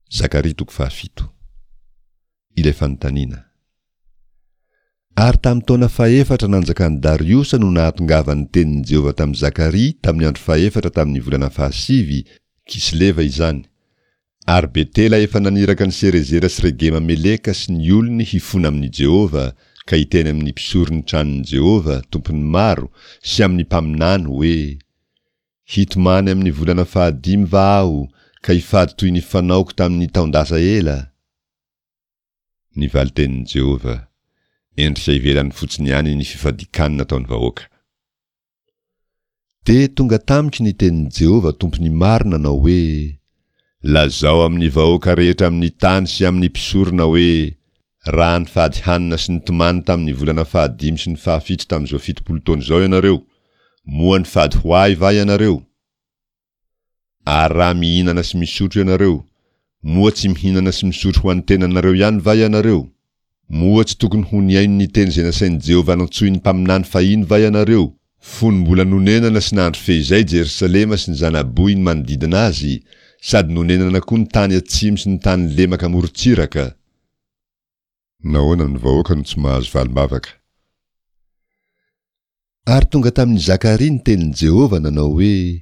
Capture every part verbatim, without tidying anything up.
Zakaria toko fahafito. Ilay fanontaniana. Ary tamin'ny taona fahefatra nanjakan'i Dariosa no nahatongavan'ny tenin'i Jehovah tamin'i Zakaria tamin'ny andro fahefatra tamin'ny volana fahasivy, Kisleva izany. Ary Betela efa naniraka an'i Serezera sy Regema-meleka sy ny olony hifona amin'i Jehovah ka hiteny amin'ny mpisoron'ny tranon'i Jehovah, Tompon'ny maro, sy amin'ny mpaminany hoe, Hitomany amin'ny volana fahadimy va aho ka hifady toy ny fanaoko tamin'ny taon-dasa ela? Ny valin-tenin'i Jehovah, Endrika ivelany fotsiny ihany ny fifadian-kanina ataon'ny vahoaka. Dia tonga tamiko ny tenin'i Jehovah Tompon'ny maro nanao hoe, Lazao amin'ny vahoaka rehetra amin'ny tany sy amin'ny mpisorona hoe, Raha nifady hanina sy nitomany tamin'ny volana fahadimy sy ny fahafito tamin'izao fitopolo taona izao ianareo, moa nifady ho ahy va ianareo? Ary raha mihinana sy misotro ianareo, moa tsy mihinana sy misotro ho an'ny tenanareo ihany va ianareo? Moa tsy tokony ho nihaino ny teny izay nasain'i Jehovah nantsoin'ny mpaminany fahiny va ianareo, fony mbola nonenana sy nandry feizay Jerosalema sy ny zana-bohiny manodidina azy, sady nonenana koa ny tany atsimo sy ny tany lemaka amorontsiraka? Nahoana ny vahoaka no tsy mahazo valim-bavaka? Ary tonga tamin'i Zakaria ny tenin'i Jehovah nanao hoe,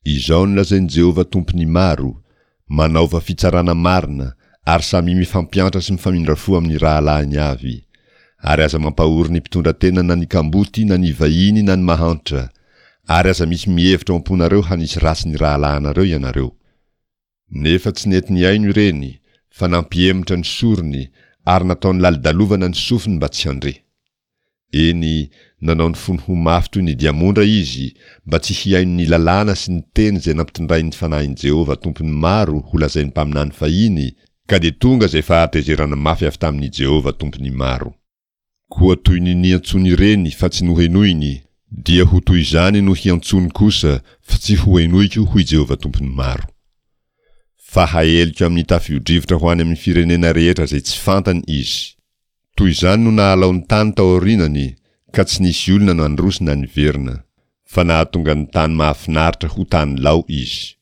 Izao no lazain'i Jehovah Tompon'ny maro, Manaova fitsarana marina, ary samia mifampiantra sy mifamindra fo amin'ny rahalahiny avy. Ary aza mampahory ny mpitondra tena na ny kamboty na ny vahiny na ny mahantra. Ary aza misy mihevitra ao am-ponareo hanisy ratsy ny rahalahinareo ianareo. Nefa tsy nety nihaino ireny, fa nampihemotra ny sorony, ary nataony lalodalovana ny sofiny mba tsy handre. Eny, nanao ny fony ho mafy toy ny diamondra izy, mba tsy hihaino ny lalàna sy ny teny izay nampitondrain'ny Fanahin'i Jehovah Tompon'ny maro holazain'ny mpaminany fahiny, ka dia tonga izay fahatezerana mafy avy tamin'i Jehovah Tompon'ny maro. Koa toy ny niantsoany ireny fa tsy nohenoiny, dia ho toy izany no hiantsoany kosa fa tsy hohenoiko, hoy Jehovah Tompon'ny maro. Fa haeliko amin'ny tafio-drivotra ho any amin'ny firenena rehetra izay tsy fantany izy. Toy izany no nahalao ny tany tao aorianany, ka tsy nisy olona nandroso na niverina. Fa nahatonga ny tany mahafinaritra ho tany lao izy.